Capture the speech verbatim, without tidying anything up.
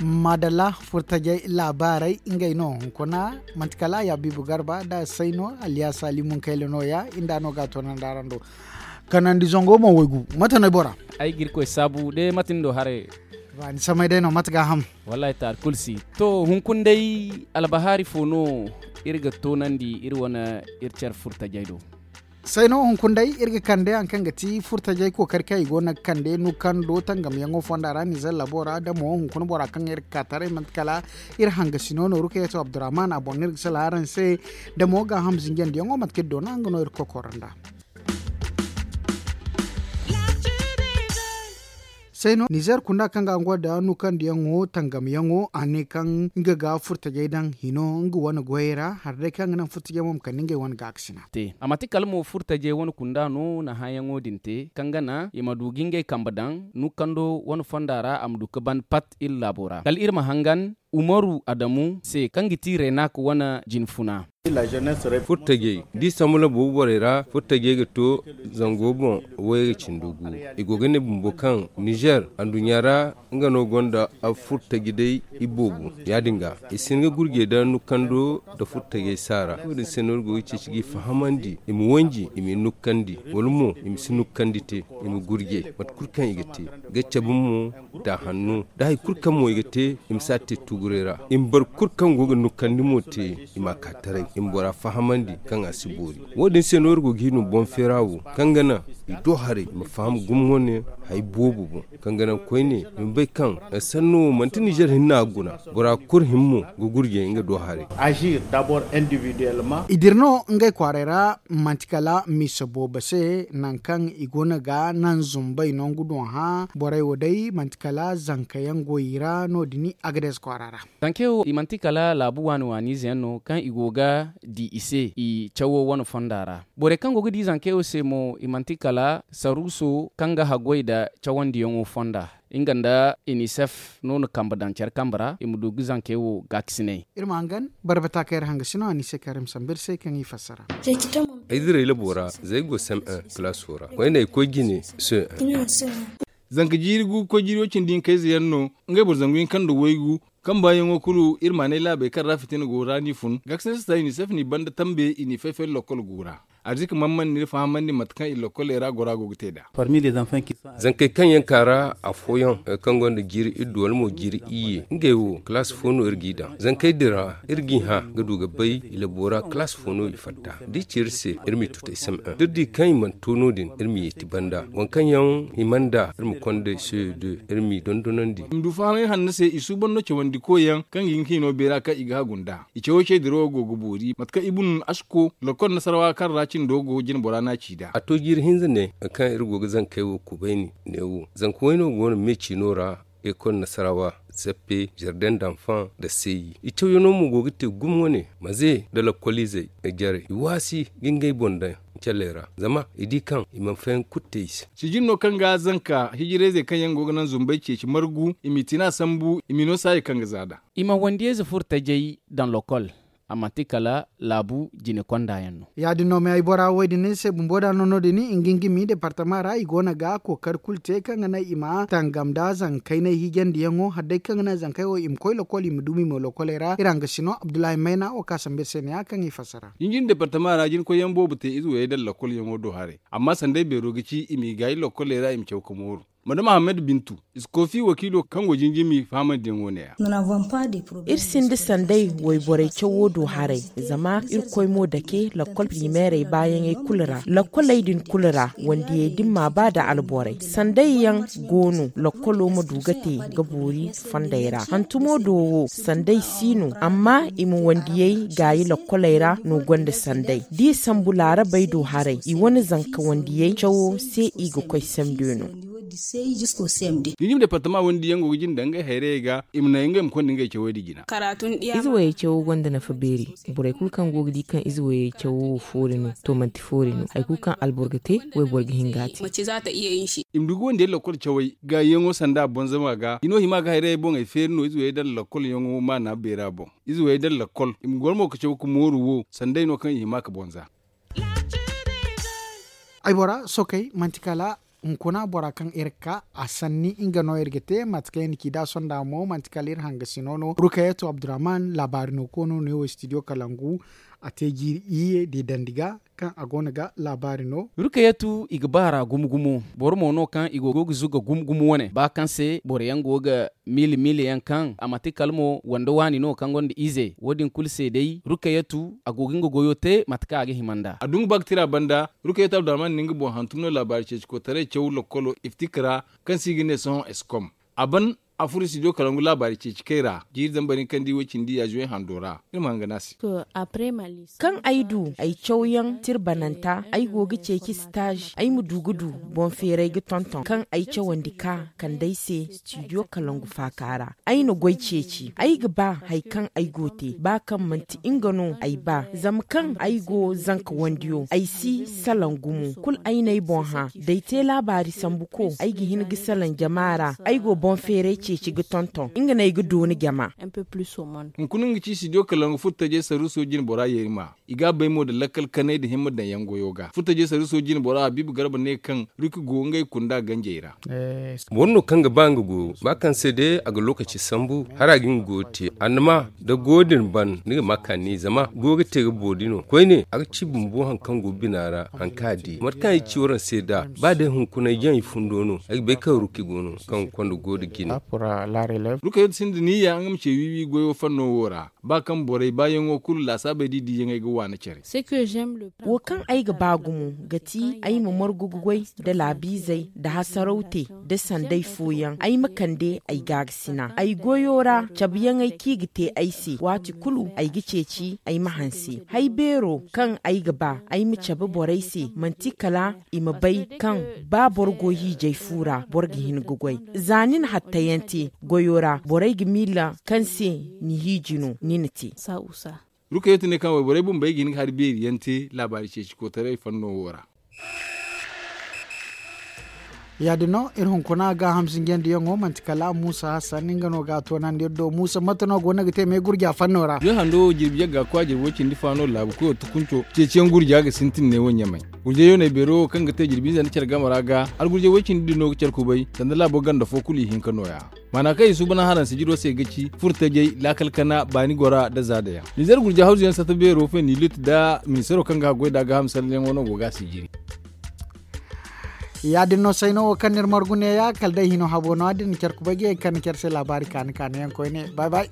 Maadalla, furtajey laabaarey ngey no hunkuna. Manti kala ya biibu garba nda say no, alliyaasa limun kayla nooya. Inda no ga a toonandi araŋ do. Kanandi zango mo waygu mate no ay bora? Ay ga irkoy saabu de mate ni do haray? Ba ni samay day no mate ga a ham? Wallaahi taari kulu si. To, hunkuna day, albahaari fo no iri ga toonandi iri wane iri care furtajey do? Say no hunkuna day iri ga kande hari kaŋ ga ti furtajey kookari kaŋ i go no ga kande nukando tangamyaŋo fonda ra nizer labo ra da mo hunkuna bora kaŋ iri ga ka taray manti kala iri hangasino nooru kaŋ yaŋ ti abdurrahman a boŋ no iri ga sala araŋ se. Da mo gaaham zinjandiyaŋo mate kaŋ iri doona nga no iri ga koy koro nda. Say no nizer kunda kaŋ ga nga da nukandiyaŋo tangamyaŋo a ne kaŋ nga ga furtajey daŋ hino nga wane goyey ra hari day kaŋ ga naŋ furtajey mo ma kande ngey wane gaakasina. A manti kala mo furtajey wane kunda no na hããyaŋo din te kaŋ ga naŋ i ma du ga ngey kambe daŋ nukando wane fonda ra a ma du ga ban pat iri laabo ra kala iri ma hangan umaru adamu se kaŋ ga ti renak wane jinfuna. Furtajey da i sambu labo borey ra furtajey ga to zango boŋ wayga cindo gu. I go ga ne bumbo kaŋ nizer anduɲɲa ra nga no gonda furtaji day iboobo ya- din ga i si hin ga gurjey da nukando nda furtajey saara wo- din se no iri go ga ceeci ga i fahamandi i ma wanji i m'i nukkandi wala mo i ma si nukkandi te i ma gurjey mate kulu kaŋ i ga te ga cabe mo da hanno da hari kulu kaŋ mo i ga te i ma si a te tuguray ra i ma boro kulu kaŋ go ga nukkandi mo te i m'a ka taray i ma bora fahamandi kaŋ a si boori wo- din se no iri go ga hin no boŋ feera wo kaŋ ga naŋ i do haray i ma faham gumo wane hari boobo boŋ kaŋ ga naŋ koyne i ma bay kaŋ sanno wo manti nizer hinna ga guna bora kulu himmo ga gurjay nga do haray. I dira no ngey kwaaray ra manti kala misa boobo se nangu kaŋ i go no ga naŋ zumbay nangu doŋ hã borey wo day manti kala zanka yaŋ go i ra no- din agades kwaara ra. Zankey wo i manti kala laabu waani waani ize yaŋ no kaŋ i go ga di i se i cawo wane fonda ra. Borey kaŋ go ga di zankey wo se mo i manti kala saruuso kaŋ ga haggoy nda cawandiyaŋo fonda nga nda inisef no na kambe daŋ care kambe ra i ma du ga zankey wo gaakasinay. Iri ma hangan barbata kaŋ iri hangasino a ni se kaŋ iri ma sambu iri se kaŋ i fassara. Ay diray labo ra zay go sem en kalaaso ra koyne ay koy jine se. Zanka jiiri gu koy jiiri wo cindi hinka ize yaŋ no ngey boro zangu hinka nda waygu. Kaŋ baayaŋo kulu iri maanay laabey kaŋ ra fitina go ra n'i fun gaakasina sista unicef n'i banda tambe i n'i fay-fay lokol gu ra. Arzika man man n'iri fahamandi mate kaŋ i lokoley ra gora go ga te nd'a. Zankey kaŋ yaŋ ka ra afooyaŋ kaŋ gonda jiiri iddu wala mo jiiri iyye ngey wo kalaasi fo no iri g'i daŋ zankey din ra iri g'i hã ga du ga bay i labo ra kalaasi fo no i fatta da i ci iri se iri m'i tutay sem en da iri di kaŋ i mana to no- din iri m'i yeeti banda waŋ kaŋ yaŋ hima nd'a iri ma konda se de iri m'i dondonandi. I ma du fahamay hanno se i suuban no cawandi koy yaŋ kaŋ ga hin ka hino beera kaŋ i ga hagu nd'a. I cawo cey dirawo go ga boori mate kaŋ ibun asko lokol nasarawa kaŋ ra cindo go jine bora n'a ci nd'a. A to jiiri hinza ne kaŋ iri go ga zankey wo kubayni neewo zanka wayno go no me ciino ra ekol nasarawa, zappe, zarden danfaŋ nda seeyi i cawyaŋo mo go ga te gumo wane maze nda lokoliizey jarey i waasi ga ngey boŋ daŋ. Calley ra zama i di kaŋ i mana fayaŋ kulu te i se. Sijin no kaŋ ga zanka hijirayzey kaŋ yaŋ go ga naŋ zumbey ceeci margu i m'i tina sambu i m'i no saayey kaŋ ga za nd'a. I ma wandiyayze furo tajey daŋ lokol a manti kala laabu jine konda yaŋ no. Ya- din no me ay bora wo- din se bumbo da no no- din nga nga mi departama ra i go no ga kookari kulu te kaŋ ga naŋ i ma tangam nda zankey no ay hiijandiyaŋo hari day kaŋ ga naŋ zankey wo i ma koy lokol i ma dumi mo lokoley ra iri hangasino abdullahi mayna wo ka sambu iri se ne- ya kaŋ i fassara. Jinjin departama ra jinkoyyaŋ boobo te ize wayey daŋ lokolyaŋo do haray amma sanday beero ga ci i m'i gaayi lokoley ra i ma caw ka mooru. Madama hammad bintu, iskofi wakiilo kaŋ go jinjimi fahamandiyaŋo ne- ya. Iri sinda sanday wayborey cawo do haray zama irkoy mo dake lakkol primeerey baayaŋey kulu ra lakkoley din kulu ra wandiyey dimma ba nda alborey sanday yaŋ go no lakkolo ma du ga te ga boori fondey ra hantumo do wo sanday si no amma i ma wandiyey gaayi lakkoley ra no gonda sanday da i sambu laarabey do haray i wane zanka wandiyey cawo se i ga koy sembe no. Jinjim departama wandi yaŋ go ga jinde ngey hayrayey ga i ma naŋ ngey ma konda ngey cawey da jina. Ize wayey cawo gonda nafa beeri. Borey kulu kaŋ go ga di kaŋ ize wayey cawo wo foori no to manti foori no hari kulu kaŋ alboro ga te wayboro ga hin ga a te. I ma du ga wandiyey lakkol cawey gaayiyaŋo sanda bonzama ga i no hima ga hayrayey boŋey feeri no ize wayey daŋ lakkolyaŋo maana beera boŋ. Ize wayey daŋ lakkol i ma goro mo ga caw ga mooru wo sanday no kaŋ i hima ga bonza. Ay bora sokey manti kala Hunkuna bora kaŋ iri ka a sanni nga no iri ga te mate kaŋ iri na ci da sonda mo manti kala iri hangasino no rukayatu abdurrahman laabaari no koono no yawo studio kalangu. A te jiiri iyye da i dandi ga kaŋ a go no ga laabaari no. Rukayatu i ga ba ra gumo gumo. Boro mo no kaŋ i go ga zuga gumo gumo wane ba kaŋ se boro yaŋ go ga miila miila yaŋ kaŋ a manti kala mo wande waani no kaŋ gonda ize wo- din kulu se day rukayatu a go ga nga goyo te mate kaŋ a ga hima nd'a. A du nga ba ga tira banda. Rukayatu abdurrahman na nga boŋ hantum no laabaari ceeci koytaray caw lokkolo iftik ra kaŋ se i ga ne sohõ eskom. A ban a furo studio kalangu laabaari ceeci kay ra jiiri zambar hinka nda i way cindi yaazuwey hando ra. Iri ma hanga no a se. Kaŋ ay du ay cawyaŋ tirbananta ay go ga ceeci sitaaz ay ma du ga du boŋ feeray ga tonton kaŋ ay cawandi ka kande ay se studio kalangu faaka ra. Ay na goy ceeci ay ga ba hari kaŋ ay go te ba kaŋ manti nga no ay ba zama kaŋ ay go zanka wandiyo ay si salaŋ gumo kulu ay n'ay boŋ hã da ay te laabaari sambu ko ay ga hin ga salaŋ jama ra. Ay go boŋ feeray ceeci ga tonton nga no ay ga dooni jama. Hunkuna nga ci studio kalangu furo tajay sarruso jine bora yeeri ma i ga a bay mo nda lakkal kanay nda himma daŋ yaŋ goyo ga furo tajay sarruso jine bora habiibu garba ne kaŋ riki go ngey kunda ganjey ra. Boro no kaŋ ga ba nga goyo ba kaŋ se day a ga lookaci sambu hala a ga nga goyo te annama da goyo din ban ni ga ma kaani zama goyo ga te ga boori no koyne a ga ci bumbo hari kaŋ go bina ra hari kaŋ a di mate kaŋ ay ci waraŋ se nd'a ba day hunkuna ay jaŋ i fundo no ay ga bay kaŋ ruki go no kaŋ ga konda goyo nda jine. Rukayo sinda niyya nga ma ce wiiwi goyo fanno wo ra ba kaŋ borey baayaŋo kulu laasaabey da i diiyaŋey ga waani care. Wo kaŋ ay ga ba gumo ga ti ay ma margu ga goy nda laabiizey nda hasaraw te nda sanday fooyaŋ ay ma kande ay gaagasina ay goyo ra cabeyaŋey kaŋ i ga te ay se waati kulu ay ga ceeci ay ma hanse hay beero kaŋ ay ga ba ay ma cabe borey se manti kala i ma bay kaŋ ba boro go hiijay fu ra boro ga hin ga goy. Za ni na hattayaŋ te goyo ra borey ga miila kaŋ se ni hiiji no ni na te. Rukayatu ne kaŋ wayborey bumbey ga hin ga hari beeri yaŋ te laabaari ceeci kootaray fanno wo ra. Ya- din no iri hunkuna gaaham zinjandiyaŋo manti kala muusa hassan nga no ga a toonandi iri do muusa mate no go no ga te me gurja fanno ra. Jirbi yagga kwa jirbi way cindi fa no laabu koyo tukunco ceeciyaŋ gurja ga sintin ne wo ɲamay. Gurjay yoonay beero wo kaŋ ga te jirbi hinza nda care game ra ga hala gurjay way cindi din no ga care kubay sanda laabo ganda fo kulu ihinka nooya. Maana kaŋ i suuban haraŋ sijiro se ga ci furtajey laakal kana baani gora nda zaadayaŋ. Nizer gurja hawzuyaŋ satta beero fenilit nda ministaro kaŋ ga haggoy nd'a gaaham sallanyaŋo no go ga a sijiri. Ya- din no sayno wo kaŋ no iri margu neeya kala day hino habo no- ya- din care kubay ga ye ga kande care se laabaari kaani kaani yaŋ koyne bay bay.